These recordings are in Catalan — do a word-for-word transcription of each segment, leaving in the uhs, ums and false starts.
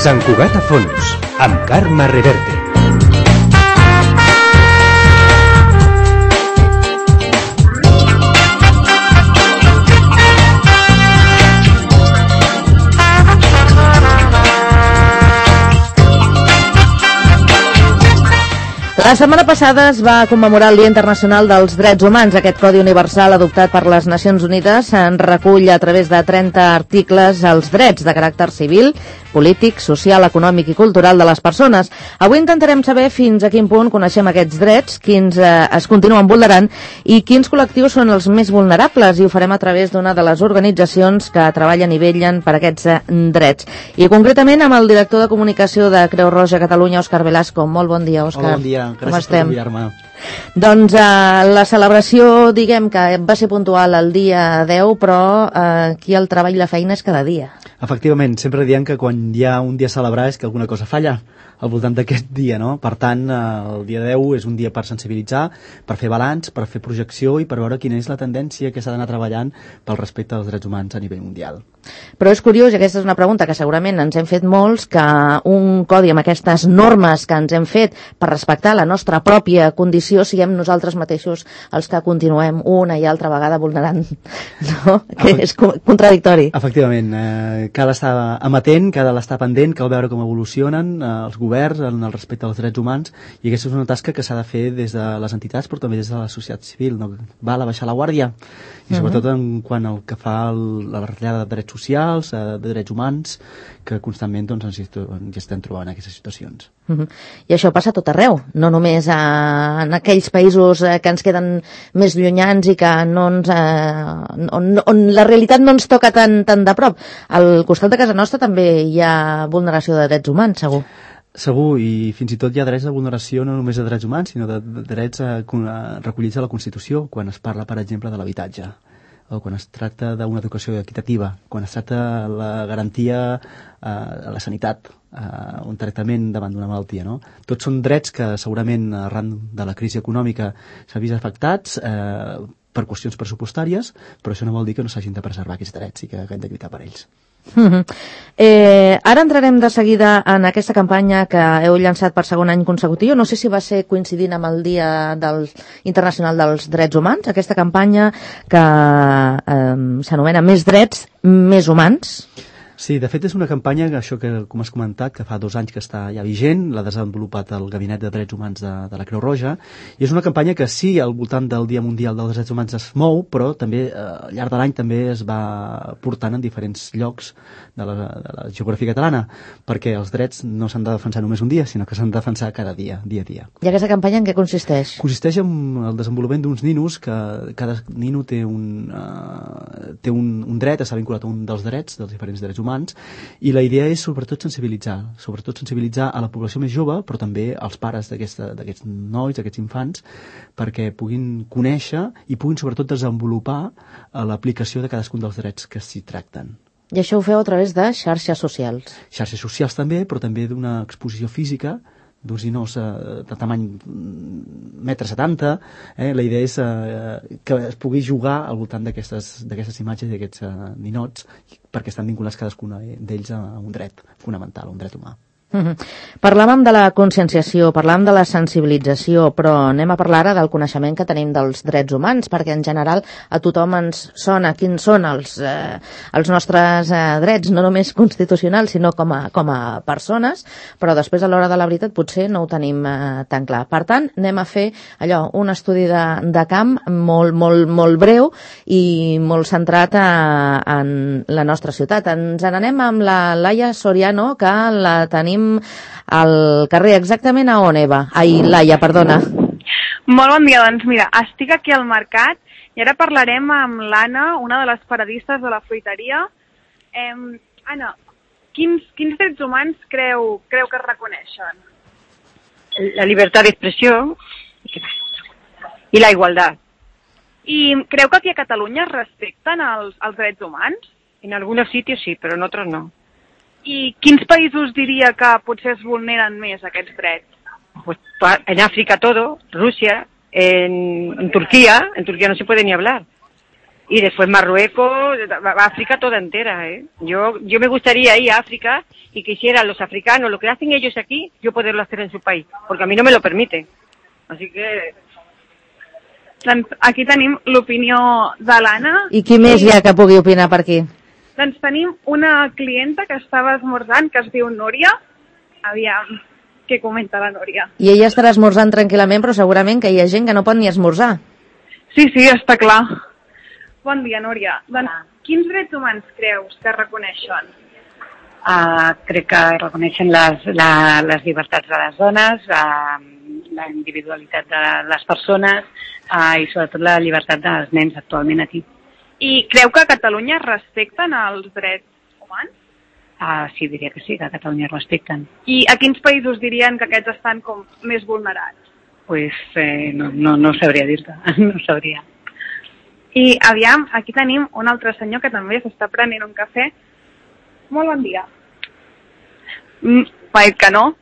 Sant Cugat a fons, amb Carme Reverte. La setmana passada es va commemorar el Dia Internacional dels Drets Humans. Aquest Codi Universal adoptat per les Nacions Unides en recull a través de trenta articles els drets de caràcter civil, polític, social, econòmic i cultural de les persones. Avui intentarem saber fins a quin punt coneixem aquests drets, quins eh, es continuen vulnerant i quins col·lectius són els més vulnerables, i ho farem a través d'una de les organitzacions que treballen i vetllen per aquests eh, drets. I concretament amb el director de comunicació de Creu Roja Catalunya, Òscar Velasco. Molt bon dia, Òscar. Hola, bon dia. Com Gràcies estem? per convidar-me. Doncs eh, la celebració, diguem que va ser puntual el dia deu, però eh, aquí el treball i la feina és cada dia. Efectivament, sempre diem que quan hi ha un dia a celebrar és que alguna cosa falla al voltant d'aquest dia, no? Per tant, eh, el dia deu és un dia per sensibilitzar, per fer balanç, per fer projecció i per veure quina és la tendència que s'ha d'anar treballant pel respecte als drets humans a nivell mundial. Però és curiós, i aquesta és una pregunta que segurament ens hem fet molts, que un codi amb aquestes normes que ens hem fet per respectar la nostra pròpia condició siguem nosaltres mateixos els que continuem una i altra vegada vulnerant, no? Que és contradictori. Efectivament, eh, cal estar amatent, cal estar pendent, cal veure com evolucionen eh, els governs en el respecte als drets humans, i aquesta és una tasca que s'ha de fer des de les entitats però també des de la societat civil, no? Val a baixar la guàrdia, i sobretot en quant al que fa el, la retallada de drets socials, eh, de drets humans, que constantment doncs, ens, ens estem trobant en aquestes situacions. Uh -huh. I això passa a tot arreu, no només a, en aquells països eh, que ens queden més llunyans i que no ens, eh, on, on la realitat no ens toca tan, tan de prop. Al costat de casa nostra també hi ha vulneració de drets humans, segur. Segur, i fins i tot hi ha drets de vulneració no només de drets humans, sinó de, de drets a, a, recollits a la Constitució, quan es parla, per exemple, de l'habitatge, o quan es tracta d'una educació equitativa, quan es tracta de la garantia eh, a la sanitat, eh, un tractament davant d'una malaltia, no? Tots són drets que segurament arran de la crisi econòmica s'han vist afectats eh, per qüestions pressupostàries, però això no vol dir que no s'hagin de preservar aquests drets i que hem de lluitar per ells. Uh-huh. eh, ara entrarem de seguida en aquesta campanya que heu llançat per segon any consecutiu. No sé si va ser coincidint amb el Dia del, Internacional dels Drets Humans, aquesta campanya que eh, s'anomena Més drets, més humans. Sí, de fet és una campanya, això que com has comentat, que fa dos anys que està ja vigent, l'ha desenvolupat el Gabinet de Drets Humans de, de la Creu Roja, i és una campanya que sí, al voltant del Dia Mundial dels Drets Humans es mou, però també eh, al llarg de l'any també es va portant en diferents llocs de la, de la geografia catalana, perquè els drets no s'han de defensar només un dia, sinó que s'han de defensar cada dia, dia a dia. I aquesta campanya en què consisteix? Consisteix en el desenvolupament d'uns ninos, que cada nino té un, uh, té un, un dret, està vinculat a un dels drets, dels diferents drets humans, i la idea és sobretot sensibilitzar, sobretot sensibilitzar a la població més jove, però també als pares d'aquests nois, d'aquests infants, perquè puguin conèixer i puguin sobretot desenvolupar l'aplicació de cadascun dels drets que s'hi tracten. I això ho feu a través de xarxes socials? Xarxes socials també, però també d'una exposició física, d'uns ninots eh, de tamany metre setanta, eh? La idea és eh, que es pugui jugar al voltant d'aquestes imatges i d'aquests eh, ninots, perquè estan vinculats cadascun d'ells a un dret fonamental, a un dret humà. Uh-huh. Parlàvem de la conscienciació, parlàvem de la sensibilització, però anem a parlar ara del coneixement que tenim dels drets humans, perquè en general a tothom ens sona quins són els, eh, els nostres eh, drets, no només constitucionals, sinó com a, com a persones, però després a l'hora de la veritat potser no ho tenim eh, tan clar. Per tant, anem a fer allò, un estudi de, de camp molt, molt, molt breu i molt centrat a, en la nostra ciutat. Ens n'anem amb la Laia Soriano, que la tenim al carrer. Exactament a on, Eva? Ai, Laia, perdona. Molt bon dia, doncs mira, estic aquí al mercat i ara parlarem amb l'Anna, una de les paradistes de la fruiteria. Eh, Anna, quins, quins drets humans creu, creu que es reconeixen? La llibertat d'expressió i la igualtat. I creu que aquí a Catalunya es respecten els, els drets humans? En algunos sitios sí, pero en otros no. I quins països diria que potser es vulneren més aquests drets? Pues en África todo, Rusia, en, en Turquía, en Turquía no se puede ni hablar. Y después Marruecos, África toda entera, ¿eh? Yo, yo me gustaría ir a África y quisiera los africanos, lo que hacen ellos aquí, yo poderlo hacer en su país, porque a mí no me lo permite. Así que... Doncs aquí tenim l'opinió de l'Anna. I qui més hi ha que pugui opinar per aquí? Doncs tenim una clienta que estava esmorzant, que es diu Núria. Aviam, què comenta la Núria? I ella estarà esmorzant tranquil·lament, però segurament que hi ha gent que no pot ni esmorzar. Sí, sí, està clar. Bon dia, Núria. Doncs, quins drets humans creus que reconeixen? Uh, crec que reconeixen les, la, les llibertats de les dones, uh, la individualitat de les persones uh, i sobretot la llibertat dels nens actualment aquí. I creu que a Catalunya es respecten els drets humans? Uh, sí, diria que sí, que a Catalunya es respecten. I a quins països dirien que aquests estan com més vulnerats? Pues eh, no, no, no sabria dir-te, no sabria. I aviam, aquí tenim un altre senyor que també s'està prenent un cafè. Molt bon dia. Mm, Paet que no.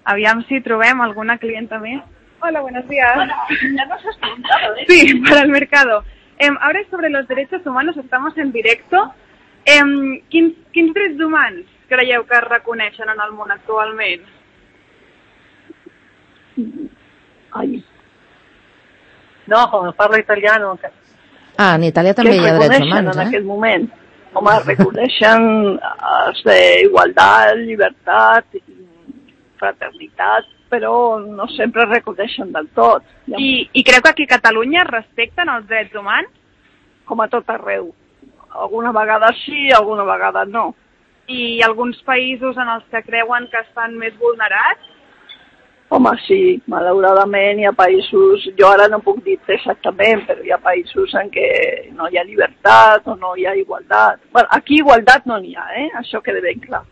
Aviam si trobem alguna clienta més. Hola, buenos días. Hola, ya nos has preguntado, ¿eh? Sí, para el mercado. Eh, ahora es sobre los derechos humanos, estamos en directo. Eh, quins, quins drets humans creieu que es reconeixen en el món actualment? Ai. No, com parlo italiano. Que... Ah, en Itàlia també hi ha drets humans, en eh? aquest moment. Home, reconeixen els d'igualtat, llibertat, fraternitat, però no sempre reconeixen del tot. I, I creu que aquí a Catalunya es respecten els drets humans? Com a tot arreu. Alguna vegada sí, alguna vegada no. I alguns països en els que creuen que estan més vulnerats? Home, sí, malauradament hi ha països, jo ara no puc dir exactament, però hi ha països en què no hi ha llibertat o no hi ha igualtat. Bueno, aquí igualtat no n'hi ha, eh? Això queda ben clar.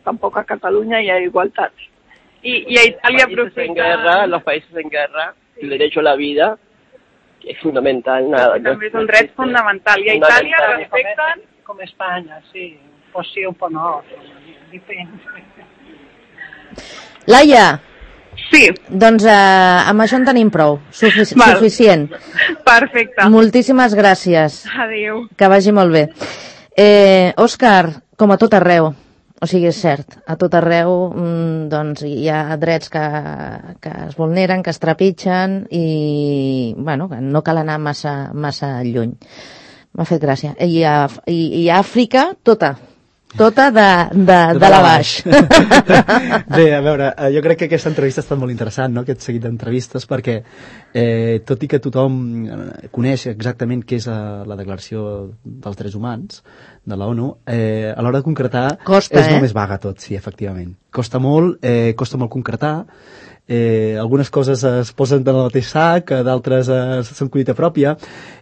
Tampoc a Catalunya hi ha igualtat. Y, y a Italia profeta... en guerra, los países en guerra, el derecho a la vida, que es fundamental. Nada, també és un dret fundamental. I a Itàlia respecten... Com Espanya, sí. Pues sí, un poc no. Depèn. Laia! Sí. Doncs eh, amb això en tenim prou. Sufic Val. Suficient. Perfecte. Moltíssimes gràcies. Adéu. Que vagi molt bé. Eh, Òscar, com a tot arreu, o sigui, és cert, a tot arreu mm, doncs, hi ha drets que, que es vulneren, que es trepitgen i bueno, que no cal anar massa, massa lluny. M'ha fet gràcia. I a, i, i a Àfrica, tota. Tota de, de, de la baix. Bé, a veure, jo crec que aquesta entrevista ha estat molt interessant, no?, aquest seguit d'entrevistes, perquè eh, tot i que tothom coneix exactament què és la, la Declaració dels Drets Humans de la ONU, eh, a l'hora de concretar costa, és eh? molt més vaga tot, sí, efectivament. Costa molt, eh, costa molt concretar, eh, algunes coses es posen en el mateix sac, d'altres eh, són collita pròpia.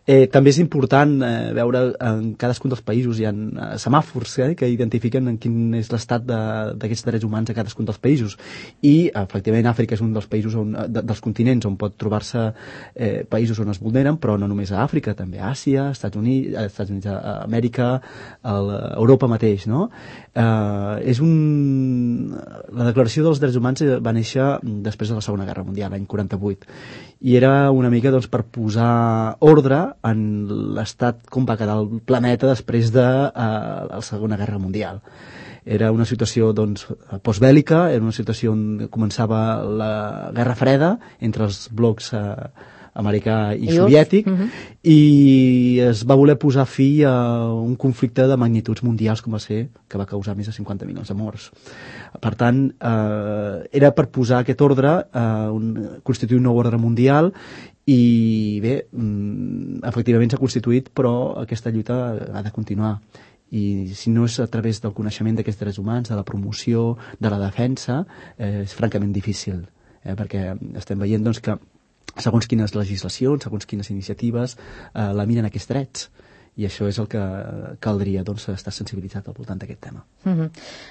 Eh, també és important eh, veure en cadascun dels països hi ha eh, semàfors eh, que identifiquen en quin és l'estat d'aquests drets humans a cadascun dels països, i efectivament Àfrica és un dels països on, de, dels continents on pot trobar-se eh, països on es vulneren, però no només a Àfrica, també a Àsia, Estats Units, a Estats Units, a Amèrica, a Europa mateix, no? Eh, és un... La Declaració dels Drets Humans va néixer després de la Segona Guerra Mundial, l'any quaranta-vuit, i era una mica doncs, per posar ordre en l'estat com va quedar el planeta després de eh, la Segona Guerra Mundial. Era una situació doncs, postbèl·lica, era una situació on començava la Guerra Freda entre els blocs eh, americà i I soviètic, uh -huh. i es va voler posar fi a un conflicte de magnituds mundials com va ser, que va causar més de cinquanta milions de morts. Per tant, eh, era per posar aquest ordre, eh, un, constituir un nou ordre mundial, i bé, efectivament s'ha constituït, però aquesta lluita ha de continuar, i si no és a través del coneixement d'aquests drets humans, de la promoció, de la defensa, eh, és francament difícil, eh, perquè estem veient doncs, que segons quines legislacions, segons quines iniciatives eh, laminen aquests drets, i això és el que caldria, doncs, estar sensibilitzat al voltant d'aquest tema. Uh-huh.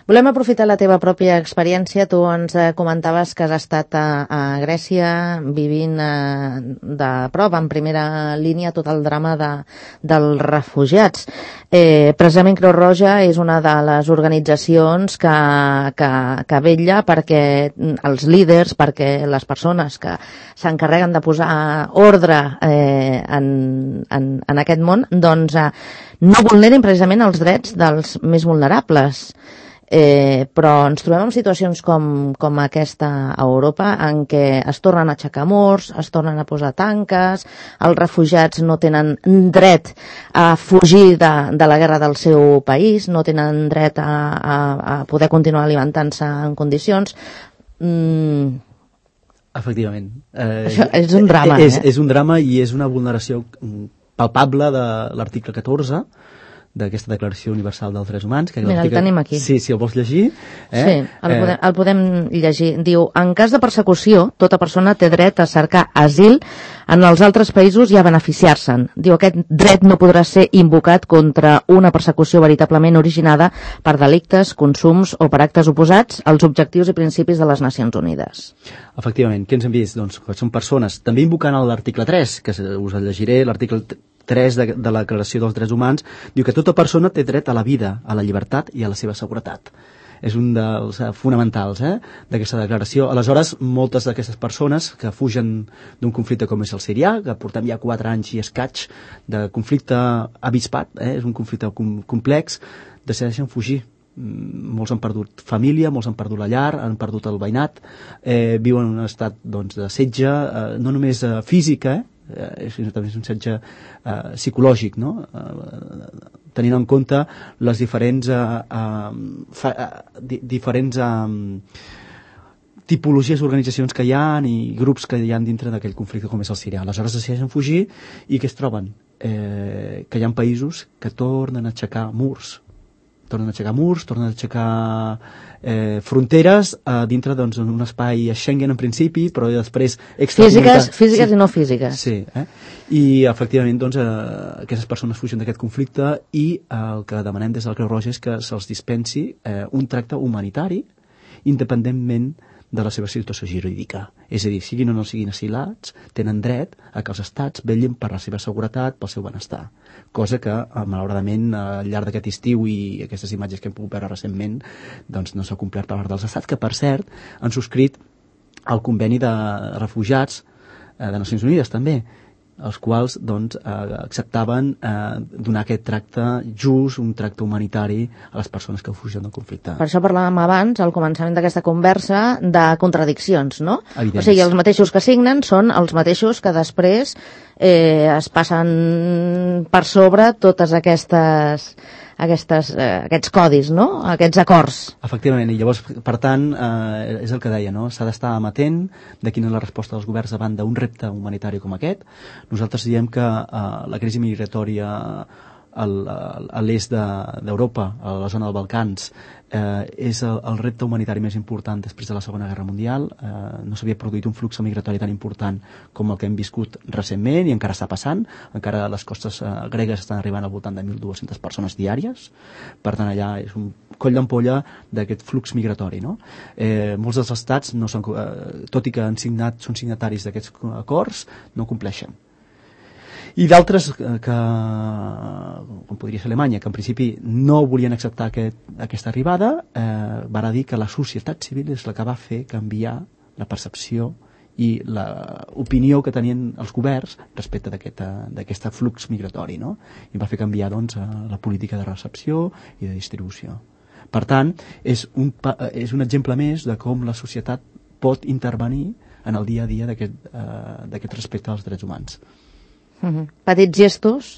Volem aprofitar la teva pròpia experiència. Tu ens eh, comentaves que has estat a, a Grècia vivint eh, de prop, en primera línia, tot el drama de, dels refugiats. Eh, precisament Creu Roja és una de les organitzacions que, que, que vetlla perquè els líders, perquè les persones que s'encarreguen de posar ordre eh, en, en, en aquest món, doncs no vulnerin precisament els drets dels més vulnerables. Eh, però ens trobem en situacions com, com aquesta a Europa, en què es tornen a aixecar murs, es tornen a posar tanques, els refugiats no tenen dret a fugir de, de la guerra del seu país, no tenen dret a, a, a poder continuar alimentant-se en condicions. Mm. Efectivament. Eh, Això és un drama, és, eh? És un drama i és una vulneració palpable de l'article catorze d'aquesta Declaració Universal dels Drets Humans. Que Mira, el tenim aquí. Sí, si el vols llegir. Eh? Sí, el, eh... podem, el podem llegir. Diu, en cas de persecució, tota persona té dret a cercar asil en els altres països i a beneficiar-se'n. Diu, aquest dret no podrà ser invocat contra una persecució veritablement originada per delictes, consums o per actes oposats als objectius i principis de les Nacions Unides. Efectivament, què ens hem vist? Doncs que són persones, també invocant l'article tres, que us el llegiré, l'article tres de, de la Declaració dels Drets Humans, diu que tota persona té dret a la vida, a la llibertat i a la seva seguretat. És un dels eh, fonamentals eh, d'aquesta declaració. Aleshores, moltes d'aquestes persones que fugen d'un conflicte com és el sirià, que portem ja quatre anys i escaig de conflicte avispat, eh, és un conflicte com, complex, decideixen fugir. Molts han perdut família, molts han perdut la llar, han perdut el veïnat, eh, viuen en un estat doncs, de setge, eh, no només eh, físic, eh, eh, sinó també és un setge eh, psicològic, no? Eh, tenint en compte les diferents eh, eh, fa, eh, di, diferents eh, tipologies d'organitzacions que hi ha i grups que hi ha dintre d'aquell conflicte com és el sirià. Aleshores decideixen fugir i què es troben? Eh, que hi ha països que tornen a aixecar murs, tornen a aixecar murs, tornen a aixecar eh, fronteres eh, dintre doncs, un espai a Schengen en principi, però després físiques, físiques sí. i no físiques. Sí, eh? I efectivament doncs, eh, aquestes persones fugen d'aquest conflicte i eh, el que demanem des del Creu Roja és que se'ls dispensi eh, un tracte humanitari independentment de la seva situació jurídica. És a dir, siguin o no siguin asilats, tenen dret a que els estats vetllin per la seva seguretat, pel seu benestar. Cosa que, malauradament, al llarg d'aquest estiu i aquestes imatges que hem pogut veure recentment, doncs no s'ha complert per part dels estats, que, per cert, han subscrit el conveni de refugiats de Nacions Unides, també, els quals doncs, eh, acceptaven eh, donar aquest tracte just, un tracte humanitari a les persones que fugen del conflicte. Per això parlàvem abans, al començament d'aquesta conversa, de contradiccions, no? Evidents. O sigui, els mateixos que signen són els mateixos que després eh, es passen per sobre totes aquestes... Aquestes, eh, aquests codis, no? Aquests acords. Efectivament, i llavors, per tant, eh, és el que deia, no? S'ha d'estar amatent de quina és la resposta dels governs davant d'un repte humanitari com aquest. Nosaltres diem que eh, la crisi migratòria a l'est d'Europa, a la zona dels Balcans, eh, és el, el repte humanitari més important després de la Segona Guerra Mundial. Eh, no s'havia produït un flux migratori tan important com el que hem viscut recentment i encara està passant. Encara les costes eh, gregues estan arribant al voltant de mil dues-centes persones diàries. Per tant, allà és un coll d'ampolla d'aquest flux migratori, no? Eh, molts dels estats, no són, eh, tot i que han signat, són signataris d'aquests acords, no compleixen. I d'altres que, com podria ser Alemanya, que en principi no volien acceptar aquest, aquesta arribada, eh, van dir que la societat civil és la que va fer canviar la percepció i l'opinió que tenien els governs respecte d'aquest flux migratori, no? I va fer canviar doncs, la política de recepció i de distribució. Per tant, és un, és un exemple més de com la societat pot intervenir en el dia a dia d'aquest eh, respecte als drets humans. Uh-huh. Petits gestos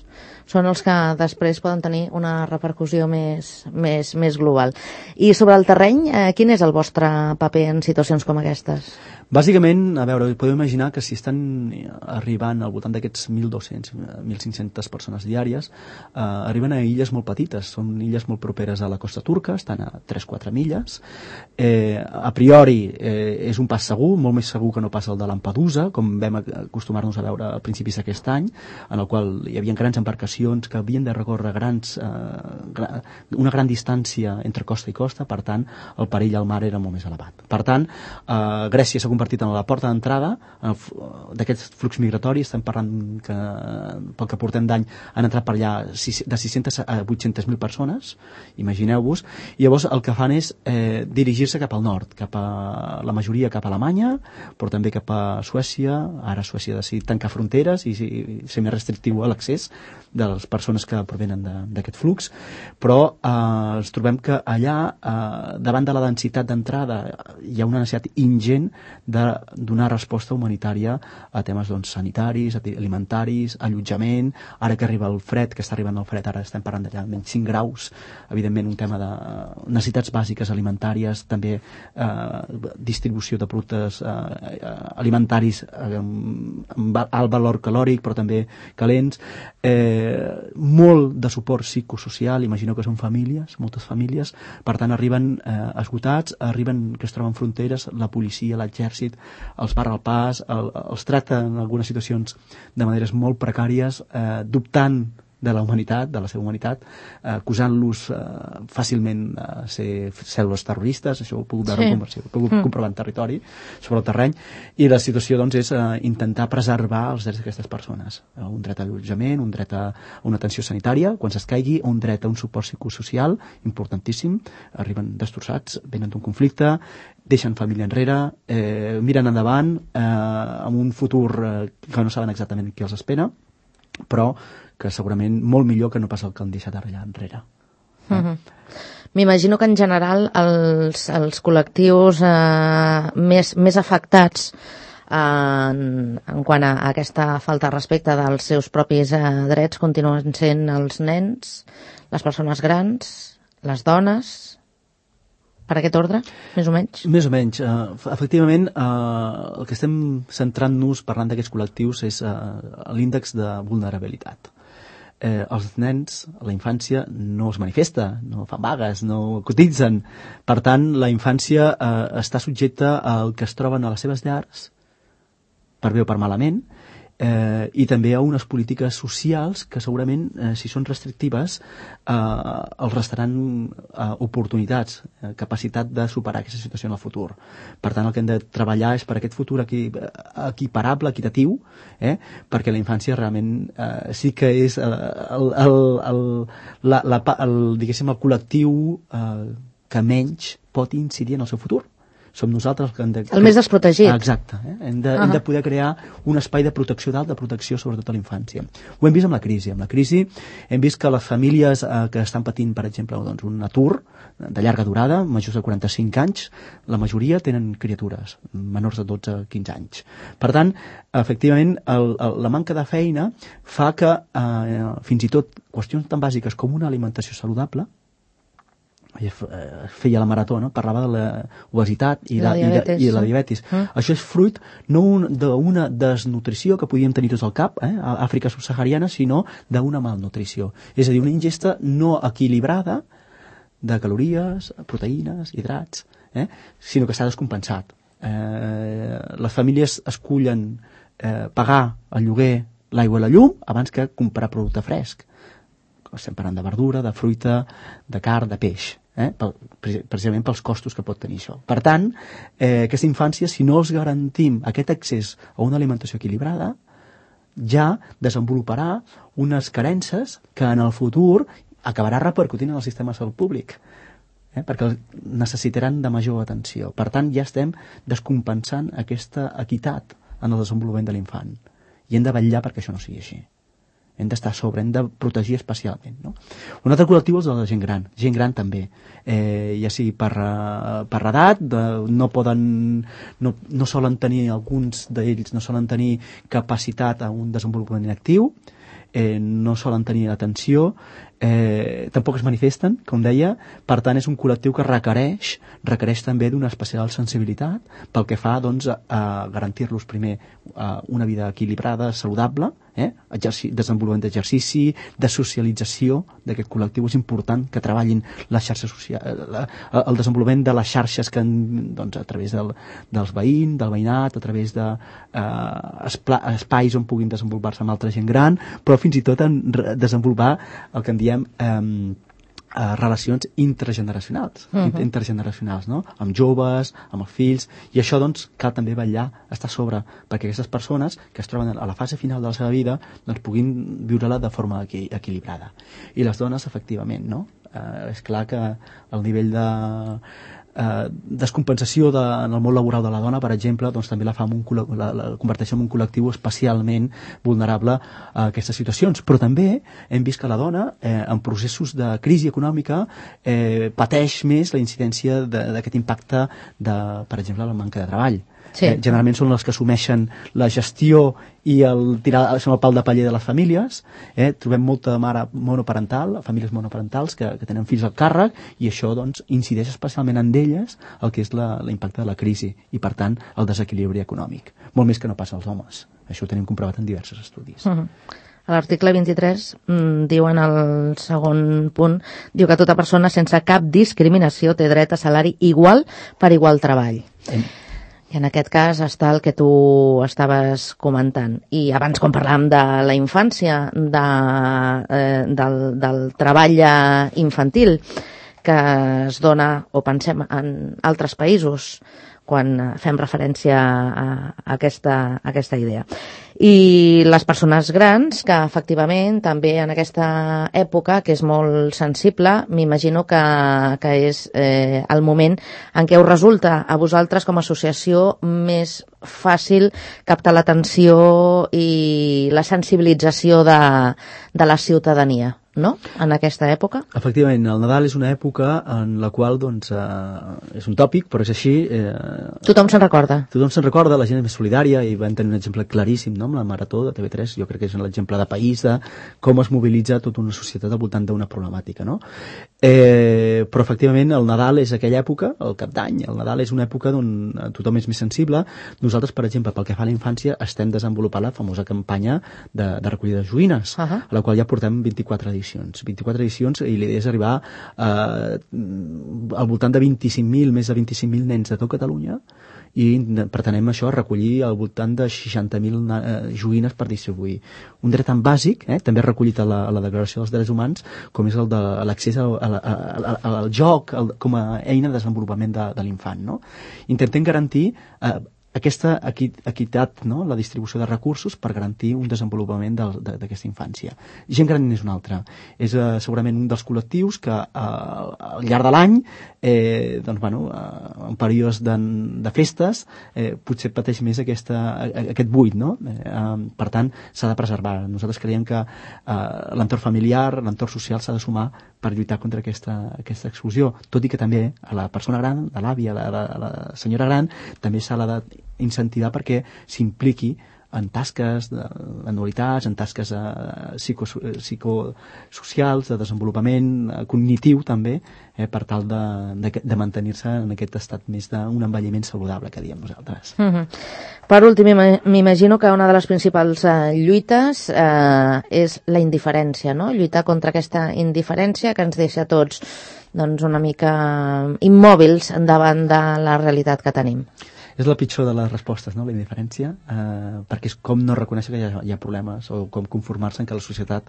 són els que després poden tenir una repercussió més, més, més global. I sobre el terreny, eh, quin és el vostre paper en situacions com aquestes? Bàsicament, a veure, podeu imaginar que si estan arribant al voltant d'aquests mil dos-cents, mil cinc-centes persones diàries, eh, arriben a illes molt petites, són illes molt properes a la costa turca, estan a tres quatre milles. Eh, a priori eh, és un pas segur, molt més segur que no pas el de Lampedusa, com vam acostumar-nos a veure a principis d'aquest any, en el qual hi havia grans embarcacions que havien de recórrer grans, eh, gra, una gran distància entre costa i costa, per tant, el perill al mar era molt més elevat. Per tant, eh, Grècia s'ha convertit en la porta d'entrada d'aquest flux migratori. Estem parlant que, pel que portem d'any, han entrat per allà de sis-centes a vuit-centes mil persones, imagineu-vos, i llavors el que fan és eh, dirigir-se cap al nord, cap a la majoria cap a Alemanya, però també cap a Suècia. Ara Suècia ha decidit tancar fronteres i, i ser més restrictiu a l'accés de les persones que provenen d'aquest flux, però eh, ens trobem que allà, eh, davant de la densitat d'entrada, hi ha una necessitat ingent de donar resposta humanitària a temes doncs, sanitaris, alimentaris, allotjament. Ara que arriba el fred, que està arribant el fred, ara estem parlant d'allà menys cinc graus, evidentment un tema de necessitats bàsiques alimentàries, també eh, distribució de productes eh, alimentaris eh, amb alt valor calòric, però també calents, eh, molt de suport psicosocial. Imagineu que són famílies, moltes famílies, per tant arriben eh, esgotats, arriben que es troben fronteres, la policia, l'exèrcit, els barra el pas, el, els tracta en algunes situacions de maneres molt precàries, eh, dubtant de la humanitat, de la seva humanitat, eh, acusant-los eh, fàcilment a ser cèl·lules terroristes. Això ho he pogut veure sí. en conversió, ho he pogut mm. comprovar en territori, sobre el terreny, i la situació doncs, és eh, intentar preservar els drets d'aquestes persones. Eh, un dret a allotjament, un dret a una atenció sanitària, quan s'escaigui, un dret a un suport psicosocial importantíssim. Arriben destrossats, venen d'un conflicte, deixen família enrere, eh, miren endavant, eh, amb un futur eh, que no saben exactament què els espera, però que segurament molt millor que no pas el que han deixat allà enrere. Eh? Uh-huh. M'imagino que en general els, els col·lectius eh, més, més afectats eh, en, en quant a aquesta falta de respecte dels seus propis eh, drets continuen sent els nens, les persones grans, les dones. Per aquest ordre, més o menys? Més o menys. Uh, efectivament, uh, el que estem centrant-nos parlant d'aquests col·lectius és uh, l'índex de vulnerabilitat. Eh, els nens, la infància, no es manifesta, no fan vagues, no cotitzen. Per tant, la infància eh, està subjecta al que es troben a les seves llars, per bé o per malament, eh, i també a unes polítiques socials que segurament, eh, si són restrictives, eh, els restaran eh, oportunitats, eh, capacitat de superar aquesta situació en el futur. Per tant, el que hem de treballar és per aquest futur equi equiparable, equitatiu, eh, perquè la infància realment eh, sí que és el, el, el, el, la, la, el, diguéssim, el col·lectiu eh, que menys pot incidir en el seu futur. Som nosaltres que hem de... El més desprotegit. Exacte. Eh? Hem, de, uh -huh. hem de poder crear un espai de protecció d'alta protecció, sobretot a la infància. Ho hem vist amb la crisi. Amb la crisi hem vist que les famílies eh, que estan patint, per exemple, doncs, un atur de llarga durada, majors de quaranta-cinc anys, la majoria tenen criatures, menors de dotze a quinze anys. Per tant, efectivament, el, el, la manca de feina fa que eh, fins i tot qüestions tan bàsiques com una alimentació saludable, feia la marató, no? Parlava de l'obesitat i, la, i, la, i la diabetis. Mm. Això és fruit no d'una desnutrició que podíem tenir tots al cap, eh, a Àfrica subsahariana, sinó d'una malnutrició. És a dir, una ingesta no equilibrada de calories, proteïnes, hidrats, eh, sinó que s'ha descompensat. Eh, les famílies escullen eh, pagar el lloguer, l'aigua i la llum abans que comprar producte fresc. Estem parlant de verdura, de fruita, de carn, de peix. Eh? Pel, precisament pels costos que pot tenir això. Per tant, eh, aquesta infància, si no els garantim aquest accés a una alimentació equilibrada, ja desenvoluparà unes carences que en el futur acabarà repercutint en el sistema de salut públic, eh? perquè necessitaran de major atenció. Per tant, ja estem descompensant aquesta equitat en el desenvolupament de l'infant. I hem de vetllar perquè això no sigui així. Hem d'estar a sobre, hem de protegir especialment. No? Un altre col·lectiu és el de la gent gran. Gent gran també. Eh, ja sigui per, per edat, de, no poden, no, no solen tenir, alguns d'ells no solen tenir capacitat a un desenvolupament actiu, eh, no solen tenir atenció, eh, tampoc es manifesten, com deia. Per tant, és un col·lectiu que requereix, requereix també d'una especial sensibilitat pel que fa doncs, a, a garantir-los primer a una vida equilibrada, saludable, eh? Exerci desenvolupament d'exercici, de socialització d'aquest col·lectiu. És important que treballin les xarxes socials, el desenvolupament de les xarxes que, doncs, a través del, dels veïns, del veïnat, a través de eh, espais on puguin desenvolupar-se amb altra gent gran, però fins i tot en desenvolupar el que en diem eh, Uh, relacions intergeneracionals, uh -huh. intergeneracionals, no? Amb joves, amb els fills, i això doncs cal també vetllar, estar a sobre, perquè aquestes persones que es troben a la fase final de la seva vida doncs puguin viure-la de forma equi equilibrada. I les dones, efectivament, no? Uh, és clar que el nivell de Uh, descompensació de, en el món laboral de la dona, per exemple, doncs també la fa un, la, la converteix en un col·lectiu especialment vulnerable a aquestes situacions. Però també hem vist que la dona, eh, en processos de crisi econòmica, eh, pateix més la incidència d'aquest impacte de, per exemple, la manca de treball. Sí. Eh, generalment són les que assumeixen la gestió i el tirar són el pal de paller de les famílies. Eh? Trobem molta mare monoparental, famílies monoparentals que, que tenen fills al càrrec, i això doncs incideix especialment en elles el que és l'impacte de la crisi i, per tant, el desequilibri econòmic. Molt més que no passa als homes. Això ho tenim comprovat en diversos estudis. Uh-huh. A l'article vint-i-tres mm, diu en el segon punt, diu que tota persona sense cap discriminació té dret a salari igual per igual treball. Eh. I en aquest cas està el que tu estaves comentant. I abans, quan parlàvem de la infància, de, eh, del, del treball infantil que es dona, o pensem en altres països, quan fem referència a, a, aquesta, a aquesta idea. I les persones grans, que efectivament també en aquesta època, que és molt sensible, m'imagino que, que és eh, el moment en què us resulta a vosaltres com a associació més fàcil captar l'atenció i la sensibilització de, de la ciutadania, no?, en aquesta època. Efectivament, el Nadal és una època en la qual, doncs, eh, és un tòpic, però és així. Eh, tothom se'n recorda. Tothom se'n recorda, la gent és més solidària, i vam tenir un exemple claríssim, no?, amb la Marató de T V tres, jo crec que és l'exemple de país de com es mobilitza tota una societat al voltant d'una problemàtica, no? Eh, però, efectivament, el Nadal és aquella època, el Cap d'Any, el Nadal és una època on tothom és més sensible. Nosaltres, per exemple, pel que fa a la infància, estem desenvolupant la famosa campanya de, de recollida de joguines, uh -huh. a la qual ja portem vint-i-quatre edicions. vint-i-quatre edicions, i l'idea és arribar eh, al voltant de vint-i-cinc mil, més de vint-i-cinc mil nens de tot Catalunya, i pretenem això, recollir al voltant de seixanta mil eh, joguines per distribuir. Un dret tan bàsic, eh, també recollit a la, a la Declaració dels Drets Humans, com és el de l'accés al, al, al, al joc el, com a eina de desenvolupament de, de l'infant, no? Intentem garantir eh, aquesta equitat, no?, la distribució de recursos per garantir un desenvolupament d'aquesta infància. Gent gran és un altre. És eh, segurament un dels col·lectius que eh, al llarg de l'any, eh, doncs, bueno, eh, en períodes de, de festes, eh, potser pateix més aquesta, aquest buit, no? Eh, per tant, s'ha de preservar. Nosaltres creiem que eh, l'entorn familiar, l'entorn social s'ha de sumar per lluitar contra aquesta, aquesta exclusió, tot i que també a la persona gran, a l'àvia, a, la, a la senyora gran, també s'ha de incentivar perquè s'impliqui en tasques d'anualitats, en tasques eh, psicosocials, de desenvolupament eh, cognitiu també, eh, per tal de, de, de mantenir-se en aquest estat més d'un envelliment saludable, que diem nosaltres. Mm-hmm. Per últim, m'imagino que una de les principals eh, lluites eh, és la indiferència, no? Lluitar contra aquesta indiferència que ens deixa tots doncs, una mica immòbils davant de la realitat que tenim. És la pitjor de les respostes, no?, la indiferència, eh, perquè és com no reconèixer que hi ha, hi ha problemes, o com conformar-se en que la societat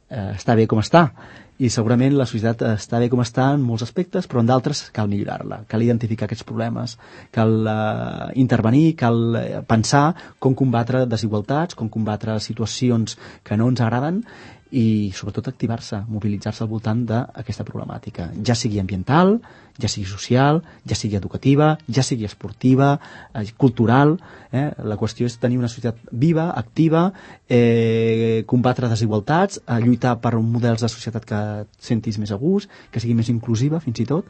eh, està bé com està. I segurament la societat està bé com està en molts aspectes, però en d'altres cal millorar-la, cal identificar aquests problemes, cal eh, intervenir, cal eh, pensar com combatre desigualtats, com combatre situacions que no ens agraden, i sobretot activar-se, mobilitzar-se al voltant d'aquesta problemàtica, ja sigui ambiental, ja sigui social, ja sigui educativa, ja sigui esportiva, eh, cultural. Eh? La qüestió és tenir una societat viva, activa, eh, combatre desigualtats, eh, lluitar per models de societat que et sentis més a gust, que sigui més inclusiva fins i tot,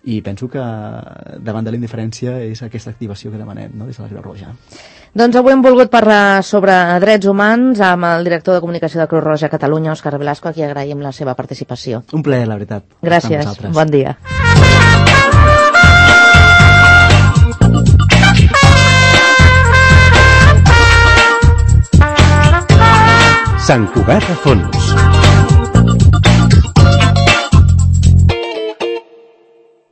i penso que davant de la indiferència és aquesta activació que demanem, no?, des de la Creu Roja. Doncs avui hem volgut parlar sobre drets humans amb el director de comunicació de Creu Roja a Catalunya, Òscar Velasco, a qui agraïm la seva participació. Un plaer, la veritat. Gràcies, bon dia. Sant Cugat a Fons.